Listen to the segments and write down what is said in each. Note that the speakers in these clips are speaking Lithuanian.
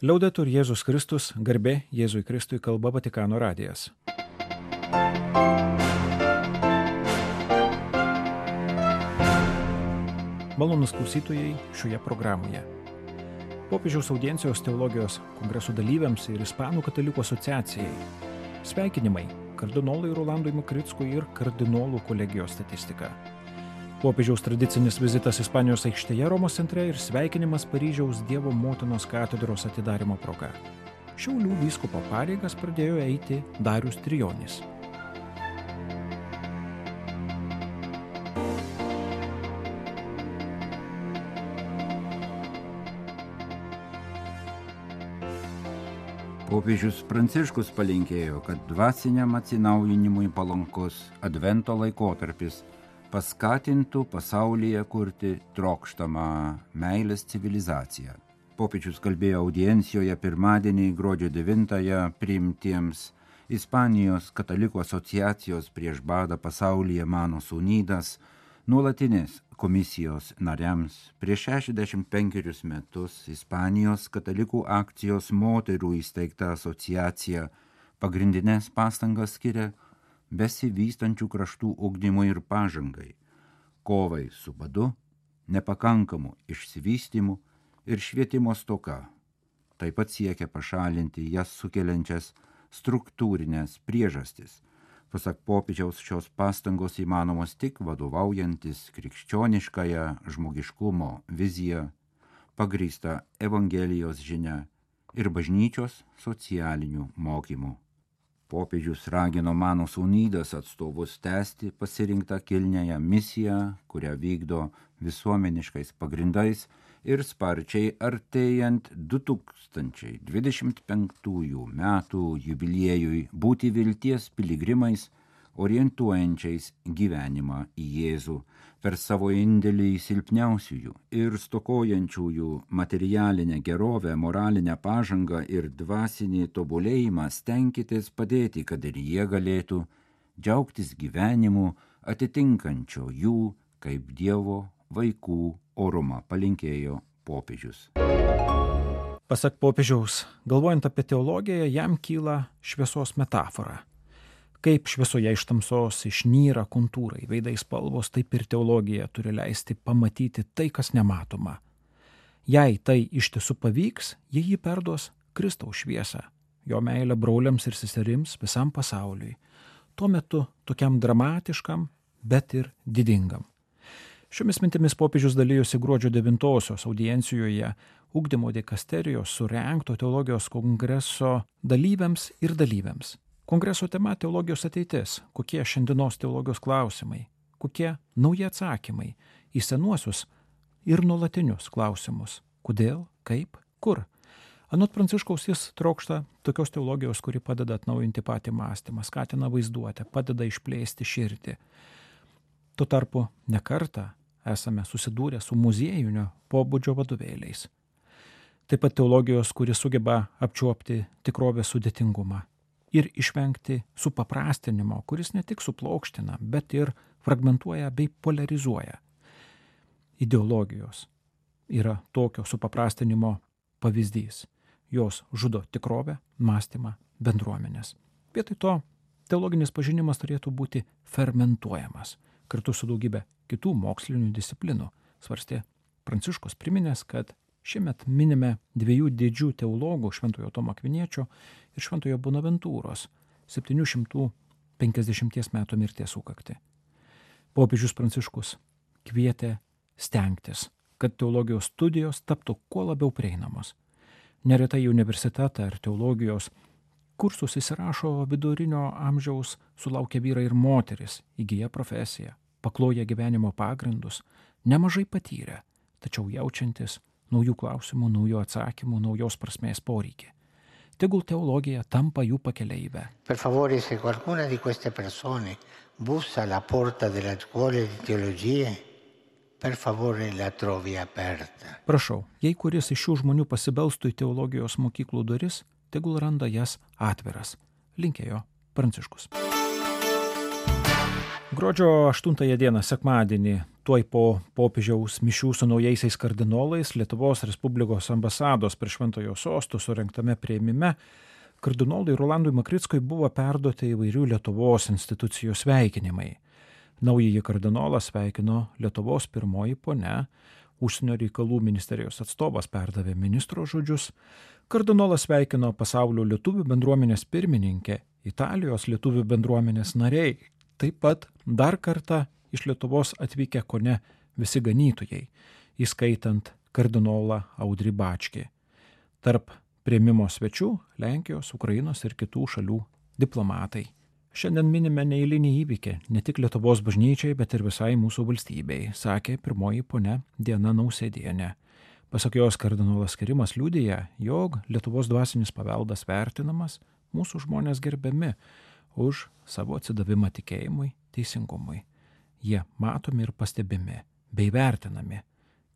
Liaudetur Jėzus Kristus, garbė Jėzui Kristui, kalba Vatikano radijas. Malonūs klausytojai šioje programoje. Popiežiaus audiencijos teologijos kongreso dalyviams ir Ispanų katalikų asociacijai. Sveikinimai kardinolui Rolandui Makrickui ir kardinolų kolegijos statistika. Popiežiaus tradicinis vizitas Ispanijos aikštėje Romos centre ir sveikinimas Paryžiaus Dievo motinos katedros atidarymo proga. Šiaulių vyskupo pareigas pradėjo eiti Darius Trijonis. Popiežius Pranciškus palinkėjo, kad dvasiniam atsinaujinimui palankus advento laikotarpis paskatintų pasaulyje kurti trokštamą meilės civilizaciją. Popiežius kalbėjo audiencijoje pirmadienį gruodžio 9-ąją priimtiems Ispanijos katalikų asociacijos prieš badą pasaulyje Manos Unidas nuolatinės komisijos nariams. Prieš 65 metus Ispanijos katalikų akcijos moterų įsteigta asociacija pagrindinės pastangas skiria besivystančių kraštų ugdymui ir pažangai, kovai su badu, nepakankamu išsivystymu ir švietimo stoka. Taip pat siekia pašalinti jas sukeliančias struktūrinės priežastis. Pasak popiežiaus, šios pastangos įmanomos tik vadovaujantis krikščioniškąją žmogiškumo viziją, pagrįstą Evangelijos žinia ir bažnyčios socialinių mokymų. Popiežius ragino Manos Unidas atstovus tęsti pasirinktą kilniąją misiją, kurią vykdo visuomeniškais pagrindais ir sparčiai artėjant 2025 metų jubiliejui būti vilties piligrimais, orientuojančiais gyvenimą į Jėzų per savo indėlį į silpniausiųjų ir stokojančiųjų materialinę gerovę, moralinę pažangą ir dvasinį tobulėjimą stenkitės padėti, kad ir jie galėtų džiaugtis gyvenimu atitinkančio jų kaip Dievo vaikų orumą, palinkėjo popiežius. Pasak popiežiaus, galvojant apie teologiją, jam kyla šviesos metafora. Kaip šviesoje iš tamsos išnyra kontūrai, veidai spalvos, taip ir teologija turi leisti pamatyti tai, kas nematoma. Jei tai iš tiesų pavyks, jie perduos Kristaus šviesą, jo meilę broliams ir seserims visam pasauliui. Tuo metu tokiam dramatiškam, bet ir didingam. Šiomis mintimis popiežius dalyjosi gruodžio 9-osios audiencijoje ugdymo dikasterijos surengto teologijos kongreso dalyviams ir dalyviams. Kongreso tema teologijos ateitis, kokie šiandienos teologijos klausimai, kokie nauji atsakymai į senuosius ir nuolatinius klausimus. Kodėl, kaip, kur. Anot Pranciškaus jis trokšta tokios teologijos, kuri padeda atnaujinti patį mąstymą, skatina vaizduotę, padeda išplėsti širdį. Tuo tarpu ne kartą esame susidūrę su muziejinio pobūdžio vadovėliais. Taip pat teologijos, kuri sugeba apčiuopti tikrovės sudėtingumą ir išvengti supaprastinimo, kuris ne tik suplokština, bet ir fragmentuoja bei polarizuoja. Ideologijos yra tokio supaprastinimo pavyzdys. Jos žudo tikrovę, mąstymą, bendruomenės. Vietoj to teologinis pažinimas turėtų būti fermentuojamas, kartu su daugybė kitų mokslinių disciplinų, svarstė Pranciškus, priminęs, kad šiemet minime dviejų didžių teologų, Šventojo Tomo Akviniečio ir Šventojo Bonaventūros 750 metų mirties sukaktį. Popiežius Pranciškus kvietė stengtis, kad teologijos studijos taptų kuo labiau prieinamos. Neretai į universitetą ar teologijos kursus įsirašo vidurinio amžiaus sulaukę vyrai ir moteris, įgyja profesiją, pakloja gyvenimo pagrindus, nemažai patyrę, tačiau jaučiantis naujų klausimų, naujų atsakymų, naujos prasmės poreikį. Tegul teologija tampa jų pakeleivę. Per favore, se qualcuna di queste persone bussa alla porta della scuola di teologia, per favore la trovi aperta. Prašau, jei kuris iš šių žmonių pasibelstų į teologijos mokyklų duris, tegul randa jas atviras, linkėjo Pranciškus. Gruodžio 8 dieną, sekmadienį, tuoj po popiežiaus mišių su naujaisiais kardinolais Lietuvos Respublikos ambasados prie Šventojo Sosto surengtame priėmime kardinolui Rolandui Makrickui buvo perduoti įvairių Lietuvos institucijų sveikinimai. Naująjį kardinolą sveikino Lietuvos pirmoji ponia, Užsienio reikalų ministerijos atstovas perdavė ministro žodžius, kardinolas sveikino Pasaulio lietuvių bendruomenės pirmininkė, Italijos lietuvių bendruomenės nariai, taip pat dar kartą iš Lietuvos atvykę kone visi ganytojai, įskaitant kardinolą Audrį Bačkį. Tarp priėmimo svečių Lenkijos, Ukrainos ir kitų šalių diplomatai. Šiandien minime neeilinį įvykį ne tik Lietuvos bažnyčiai, bet ir visai mūsų valstybei, sakė pirmoji ponia Diana Nausėdienė. Pasak jos, kardinolo skirimas liudija, jog Lietuvos dvasinis paveldas vertinamas, mūsų žmonės gerbiami už savo atsidavimą tikėjimui, teisingumui. Jie matomi ir pastebimi, bei vertinami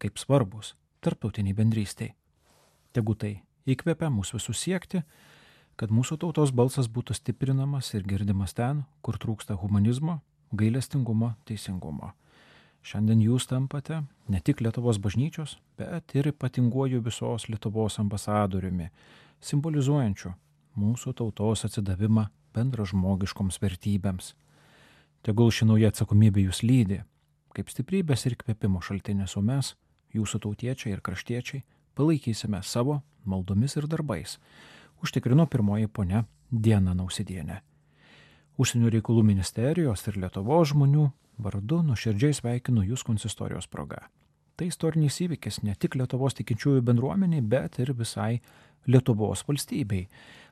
kaip svarbus tarptautiniai bendrystei. Tegu tai įkvepia mūsų visus siekti, kad mūsų tautos balsas būtų stiprinamas ir girdimas ten, kur trūksta humanizmo, gailestingumo, teisingumo. Šiandien jūs tampate ne tik Lietuvos bažnyčios, bet ir ypatinguoju visos Lietuvos ambasadoriumi, simbolizuojančiu mūsų tautos atsidavimą bendražmogiškoms vertybėms. Tegul ši nauja atsakomybė jūs lydi, kaip stiprybės ir kvėpimo šaltinis, o mes, jūsų tautiečiai ir kraštiečiai, palaikysime savo maldomis ir darbais, užtikrino pirmoji ponia Diana Nausėdienė. Užsienio reikalų ministerijos ir Lietuvos žmonių vardu nuoširdžiai sveikinu jūs konsistorijos proga. Tai istorinis įvykis ne tik Lietuvos tikinčiųjų bendruomeniai, bet ir visai Lietuvos valstybei,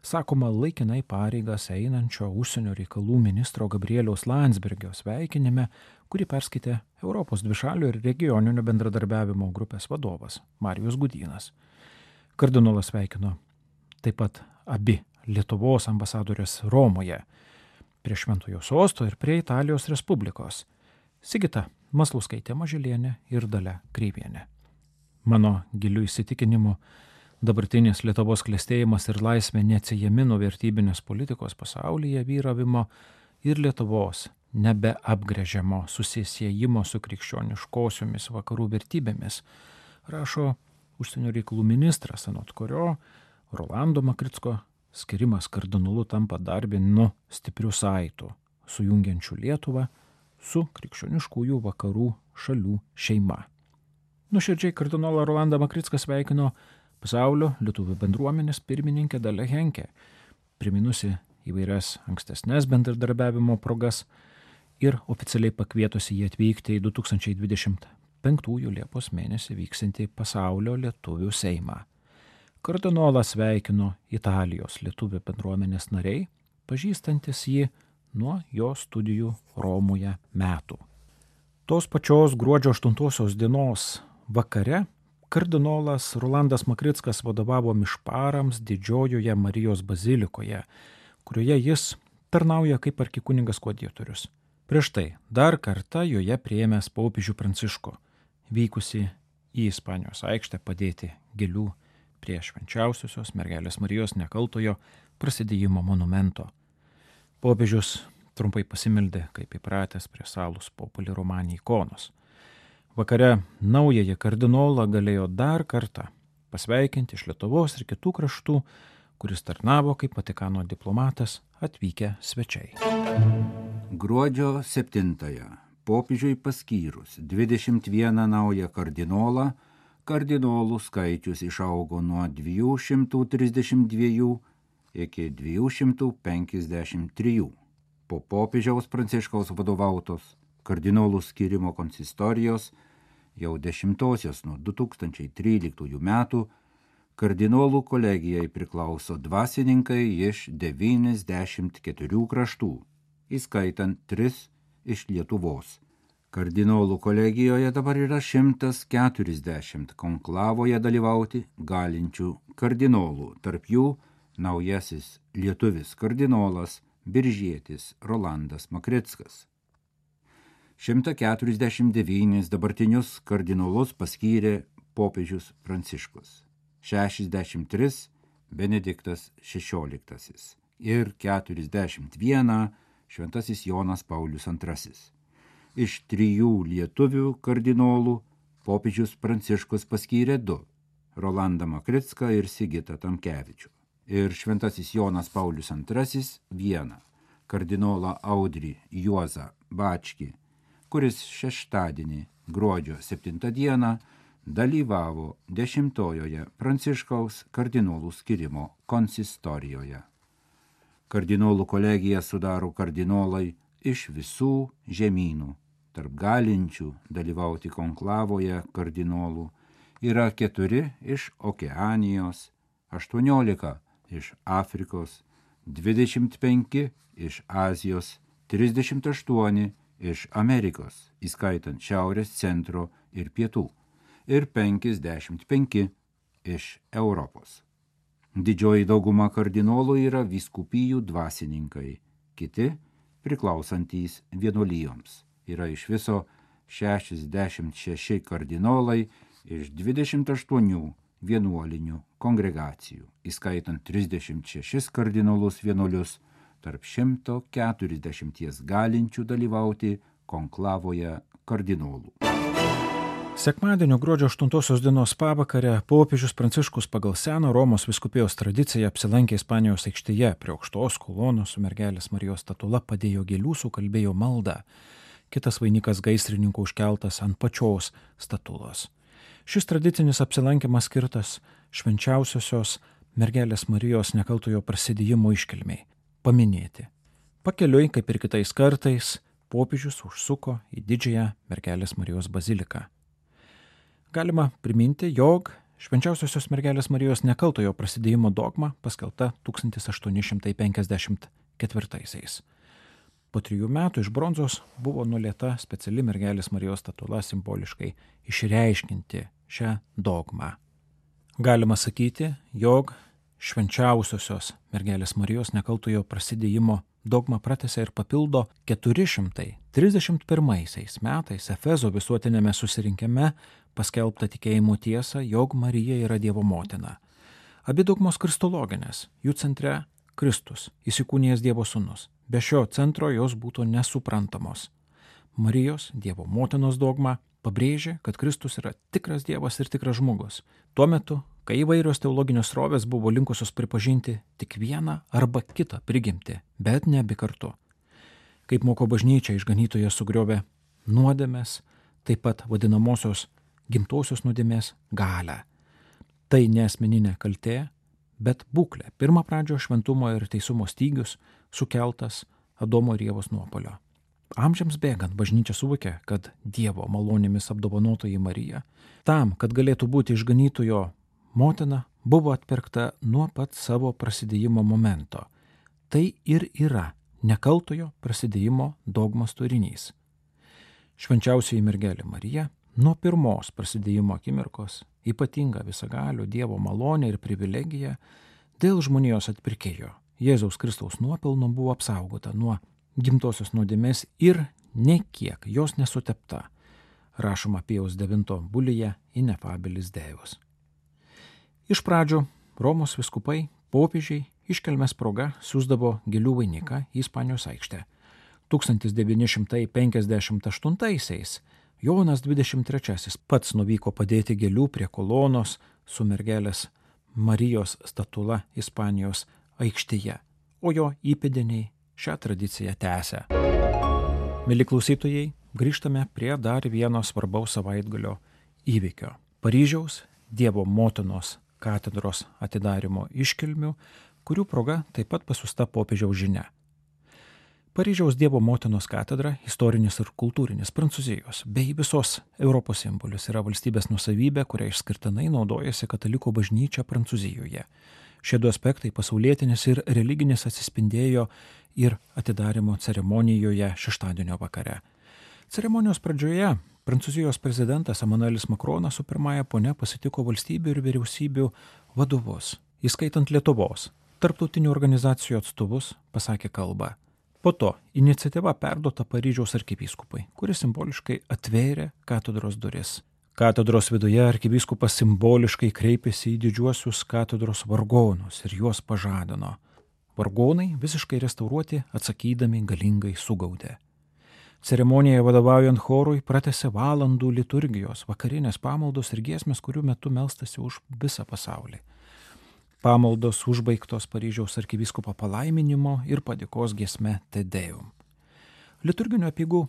sakoma laikinai pareigas einančio užsienio reikalų ministro Gabrieliaus Landsbergio sveikinime, kurį perskaitė Europos dvišalių ir regioninio bendradarbiavimo grupės vadovas Marijus Gudynas. Kardinolas sveikino taip pat abi Lietuvos ambasadorės Romoje, prie Šventojo Sosto ir prie Italijos Respublikos, Sigita Maslauskaitė Mažylienė ir Dalia Kreivienė. Mano giliu įsitikinimu, dabartinis Lietuvos klestėjimas ir laisvė neatsiejami nuo vertybinės politikos pasaulyje vyravimo ir Lietuvos nebeapgręžiamo susisiejimo su krikščioniškosiomis vakarų vertybėmis, rašo užsienio reikalų ministras, anot kurio Rolando Makricko skirimas kardinolu tampa dar vienu stipriu saitu, sujungiančiu Lietuvą su krikščioniškųjų vakarų šalių šeima. Nuoširdžiai kardinolą Rolandą Makricką sveikino Pasaulio lietuvių bendruomenės pirmininkė Dalia Henke, priminusi įvairias ankstesnės bendradarbiavimo progas ir oficialiai pakvietusi jį atvykti į 2025 Liepos mėnesį vyksantį Pasaulio lietuvių seimą. Kardinolą sveikino Italijos lietuvių bendruomenės nariai, pažįstantis jį nuo jo studijų Romoje metų. Tos pačios gruodžio 8 dienos vakare kardinolas Rolandas Makrickas vadovavo mišparams Didžiojoje Marijos bazilikoje, kurioje jis tarnauja kaip arkikunigas koadjutorius. Prieš tai dar kartą joje priėmęs popiežių Pranciškų, vykusi į Ispanijos aikštę padėti gėlių prie švenčiausiosios mergelės Marijos nekaltojo prasidėjimo monumento. Popiežius trumpai pasimeldė, kaip įpratęs, prie Salus Populi Romani ikonos. Vakare naująjį kardinolą galėjo dar kartą pasveikinti iš Lietuvos ir kitų kraštų, kuris tarnavo kaip Vatikano diplomatas, atvykę svečiai. Gruodžio 7-ąją popiežiui paskyrus 21 naują kardinolą, kardinolų skaičius išaugo nuo 232 iki 253. Po popiežiaus Pranciškaus vadovautos kardinolų skyrimo konsistorijos jau 10-osios nuo 2013 metų kardinolų kolegijai priklauso dvasininkai iš 94 kraštų, įskaitant 3 iš Lietuvos. Kardinolų kolegijoje dabar yra 140 konklavoje dalyvauti galinčių kardinolų, tarp jų naujasis lietuvis kardinolas biržietis Rolandas Makrickas. 149 dabartinius kardinolus paskyrė popiežius Pranciškus, 63 Benediktas XVI ir 41 Šventasis Jonas Paulius II. Iš 3 lietuvių kardinolų popiežius Pranciškus paskyrė 2 – Rolandą Makricką ir Sigitą Tamkevičių. Ir šventasis Jonas Paulius II 1 – kardinolą Audrį Juozą Bačkį, kuris šeštadienį gruodžio 7 dieną dalyvavo 10-ojoje Pranciškaus kardinolų skyrimo konsistorijoje. Kardinolų kolegiją sudaro kardinolai iš visų žemynų. Tarp galinčių dalyvauti konklavoje kardinolų yra 4 iš Okeanijos, 18 iš Afrikos, 25 iš Azijos, 38 iš Amerikos, įskaitant Šiaurės, Centro ir Pietų, ir 55 iš Europos. Didžioji dauguma kardinolų yra vyskupijų dvasininkai, kiti priklausantys vienuolijoms. Yra iš viso 66 kardinolai iš 28 vienuolinių kongregacijų, įskaitant 36 kardinolus vienuolius tarp 140 galinčių dalyvauti konklavoje kardinolų. Sekmadienio gruodžio 8 dienos pavakarę popiežius Pranciškus pagal seną Romos vyskupijos tradiciją apsilankė Ispanijos aikštėje prie aukštos kolonos su mergelės Marijos statula, padėjo gėlių, sukalbėjo maldą. Kitas vainikas gaisrininkų užkeltas ant pačios statulos. Šis tradicinis apsilankimas skirtas švenčiausiosios mergelės Marijos nekaltojo prasidėjimo iškilmei paminėti. Pakeliui, kaip ir kitais kartais, popiežius užsuko į didžiąją mergelės Marijos baziliką. Galima priminti, jog švenčiausiosios mergelės Marijos nekaltojo prasidėjimo dogma paskelbta 1854. Po 3 metų iš bronzos buvo nulieta speciali mergelės Marijos statula simboliškai išreiškinti šią dogmą. Galima sakyti, jog švenčiausiosios mergelės Marijos nekaltojo prasidėjimo dogma pratęsia ir papildo 431 metais Efezo visuotinėme susirinkime paskelbta tikėjimo tiesa, jog Marija yra Dievo motina. Abi dogmos kristologinės, jų centre Kristus, įsikūnijęs Dievo sūnus. Be šio centro jos būtų nesuprantamos. Marijos, Dievo motinos dogma, pabrėžė, kad Kristus yra tikras Dievas ir tikras žmogus. Tuo metu, kai įvairios teologinės srovės buvo linkusios pripažinti tik vieną arba kitą prigimtį, bet ne abi kartu. Kaip moko bažnyčia, išganytojas sugriovė nuodėmės, taip pat vadinamosios gimtosios nuodėmės galią. Tai ne asmeninė kaltė, bet būklė, pirmapradžio šventumo ir teisumo stygius sukeltas Adomo ir Ievos nuopuolio. Amžiams bėgant bažnyčia suvokė, kad Dievo malonėmis apdovanotoji Marija, tam, kad galėtų būti išganytojo motina, buvo atpirkta nuo pat savo prasidėjimo momento. Tai ir yra nekaltojo prasidėjimo dogmos turinys. Švenčiausioji mergelė Marija nuo pirmos prasidėjimo akimirkos ypatinga visagalio Dievo malonė ir privilegija dėl žmonijos atpirkėjo Jėzaus Kristaus nuopelno buvo apsaugota nuo gimtosios nuodėmės ir nekiek jos nesutepta, rašoma Pijaus 9 bulyje Inefabilis Deus. Iš pradžių Romos vyskupai, popiežiai iškilmės proga siųsdavo gėlių vainiką į Ispanijos aikštę. 1958 Jonas 23 pats nuvyko padėti gėlių prie kolonos su mergelės Marijos statula Ispanijos aikštėje, o jo įpėdiniai šią tradiciją tęsia. Mieli klausytojai, grįžtame prie dar vieno svarbaus savaitgalio įvykio – Paryžiaus Dievo motinos katedros atidarymo iškilmių, kurių proga taip pat pasiųsta popiežiaus žinia. Paryžiaus Dievo motinos katedra – istorinis ir kultūrinis Prancūzijos bei visos Europos simbolis, yra valstybės nuosavybė, kurią išskirtinai naudojasi katalikų bažnyčia Prancūzijoje. Šie 2 aspektai – pasaulietinis ir religinis – atsispindėjo ir atidarymo ceremonijoje šeštadienio vakare. Ceremonijos pradžioje Prancūzijos prezidentas Emanuelis Makronas su pirmąja ponia pasitiko valstybių ir vyriausybių vadovus, įskaitant Lietuvos, tarptautinių organizacijų atstovus, pasakė kalbą. Po to iniciatyva perduota Paryžiaus arkivyskupui, kuris simboliškai atvėrė katedros duris. Katedros viduje arkivyskupas simboliškai kreipėsi į didžiuosius katedros vargonus ir juos pažadino. Vargonai visiškai restauruoti atsakydami galingai sugaudė. Ceremonijai vadovaujant chorui pratęsė valandų liturgijos, vakarinės pamaldos ir giesmės, kurių metu melstasi už visą pasaulį. Pamaldos užbaigtos Paryžiaus arkivyskupo palaiminimo ir padėkos giesme Te Deum. Liturginio apeigų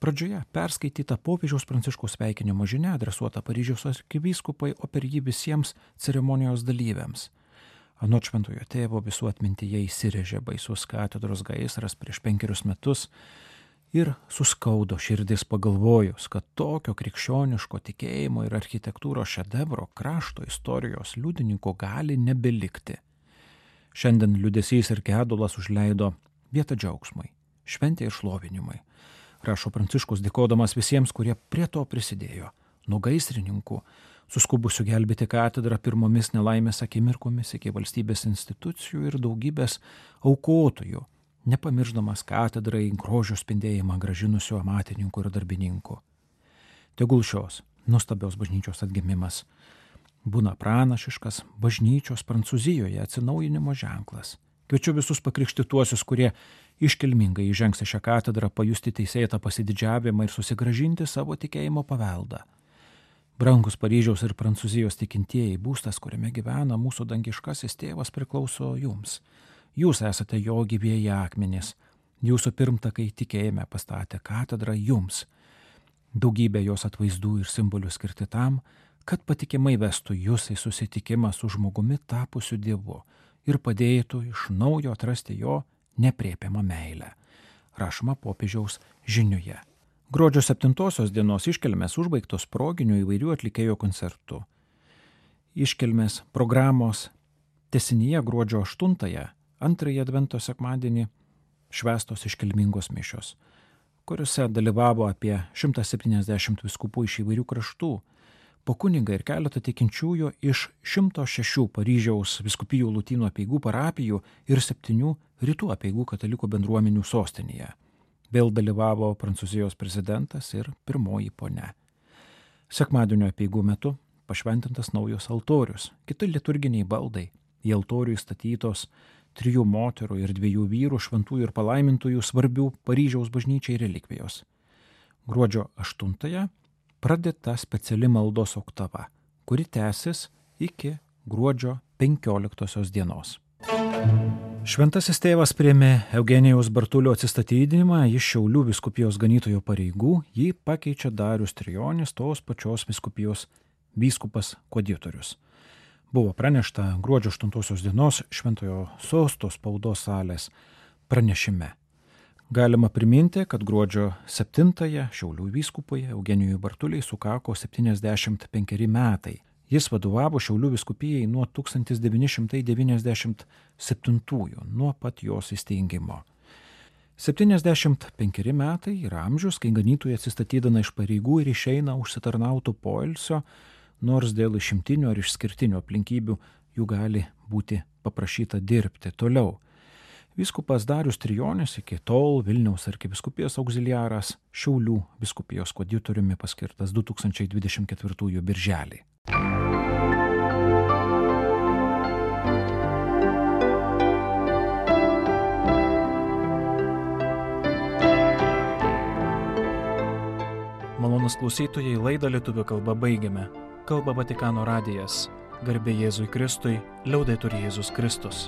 pradžioje perskaityta popiežiaus Pranciškaus sveikinimo žinia adresuota Paryžiaus arkivyskupai, o per jį visiems ceremonijos dalyviams. Anot šventojo tėvo visų atmintyje įsirėžė baisus katedros gaisras prieš 5 metus ir suskaudo širdis pagalvojus, kad tokio krikščioniško tikėjimo ir architektūros šedevro krašto istorijos liudininkų gali nebelikti. Šiandien liūdesys ir gedulas užleido vietą džiaugsmui, šventė ir šlovinimui. Rašo Pranciškus, dėkodamas visiems, kurie prie to prisidėjo, nuo gaisrininkų, suskubusių gelbėti katedrą pirmomis nelaimės akimirkomis iki valstybės institucijų ir daugybės aukotojų, nepamirždamas katedrai grožio spindėjimą gražinusių amatininkų ir darbininkų. Tegul šios nuostabios bažnyčios atgimimas būna pranašiškas bažnyčios Prancūzijoje atsinaujinimo ženklas. Kviečiu visus pakrikštytuosius, kurie iškilmingai įžengs į šią katedrą, pajusti teisėtą pasididžiavimą ir susigrąžinti savo tikėjimo paveldą. Brangus Paryžiaus ir Prancūzijos tikintieji, būstas, kuriame gyvena mūsų dangiškasis tėvas, priklauso jums. Jūs esate jo gyvieji akmenys. Jūsų pirmtakai tikėjime pastatė katedrą jums. Daugybė jos atvaizdų ir simbolių skirti tam, kad patikimai vestų jūs į susitikimą su žmogumi tapusiu Dievu ir padėtų iš naujo atrasti jo nepriepiamą meilę. Rašoma popiežiaus žinioje. Gruodžio 7 dienos iškilmės užbaigtos proginių įvairių atlikėjų koncertų. Iškilmės programos tęsinyje gruodžio 8, antrąjį advento sekmadienį, švęstos iškilmingos mišios, kuriuose dalyvavo apie 170 vyskupų iš įvairių kraštų, po kunigą ir keletą tikinčiųjų iš 106 Paryžiaus vyskupijų lotynų apeigų parapijų ir 7 rytų apeigų katalikų bendruomenių sostinėje. Vėl dalyvavo Prancūzijos prezidentas ir pirmoji ponia. Sekmadienio apeigų metu pašventintas naujos altorius, kiti liturginiai baldai, į altorių įstatytos 3 moterų ir 2 vyrų šventųjų ir palaimintųjų svarbių Paryžiaus bažnyčiai relikvijos. Gruodžio 8 pradėta speciali maldos oktava, kuri tęsis iki gruodžio 15 dienos. Šventasis tėvas priėmė Eugenijaus Bartulio atsistatydinimą iš Šiaulių vyskupijos ganytojo pareigų, jį pakeičia Darius Trijonis, tos pačios vyskupijos vyskupas koadiutorius. Buvo pranešta gruodžio 8 dienos Šventojo Sosto spaudos salės pranešime. Galima priminti, kad gruodžio 7 Šiaulių vyskupui Eugenijui Bartuliai sukako 75 metai. Jis vadovavo Šiaulių vyskupijai nuo 1997, nuo pat jos įsteigimo. 75 metai yra amžius, kai ganytojai atsistatydina iš pareigų ir išeina užsitarnautų poilsio, nors dėl išimtinių ar išskirtinių aplinkybių jų gali būti paprašyta dirbti toliau. Vyskupas Darius Trijonis iki tol Vilniaus arkivyskupijos auxiliaras, Šiaulių vyskupijos koadiutoriumi paskirtas 2024 birželį. Malonūs klausytojai, laidą lietuvių kalba baigiame. Kalba Vatikano radijas. Garbė Jėzui Kristui, liaudetur Jėzus Kristus.